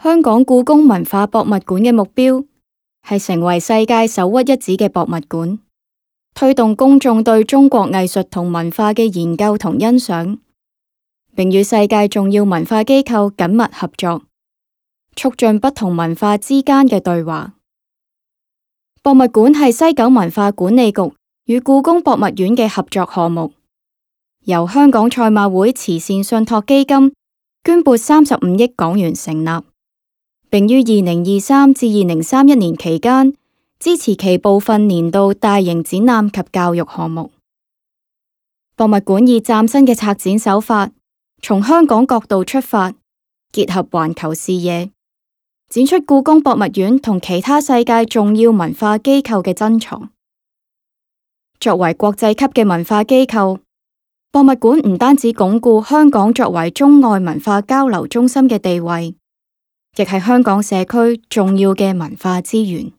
香港故宮文化博物館嘅目標係成為世界首屈一指嘅博物館，推動公眾對中國藝術同文化嘅研究同欣賞，並與世界重要文化機構緊密合作，促進不同文化之間嘅對話。博物館係西九文化管理局與故宮博物院嘅合作項目，由香港賽馬會慈善信託基金捐撥35億港元成立，並於2023至2031年期間支持其部分年度大型展覽及教育項目。博物館以嶄新嘅策展手法，從香港角度出發，結合環球視野，展出故宮博物院同其他世界重要文化機構嘅珍藏。作為國際級嘅文化機構，博物館唔單止鞏固香港作為中外文化交流中心嘅地位，亦係香港社區重要嘅文化資源。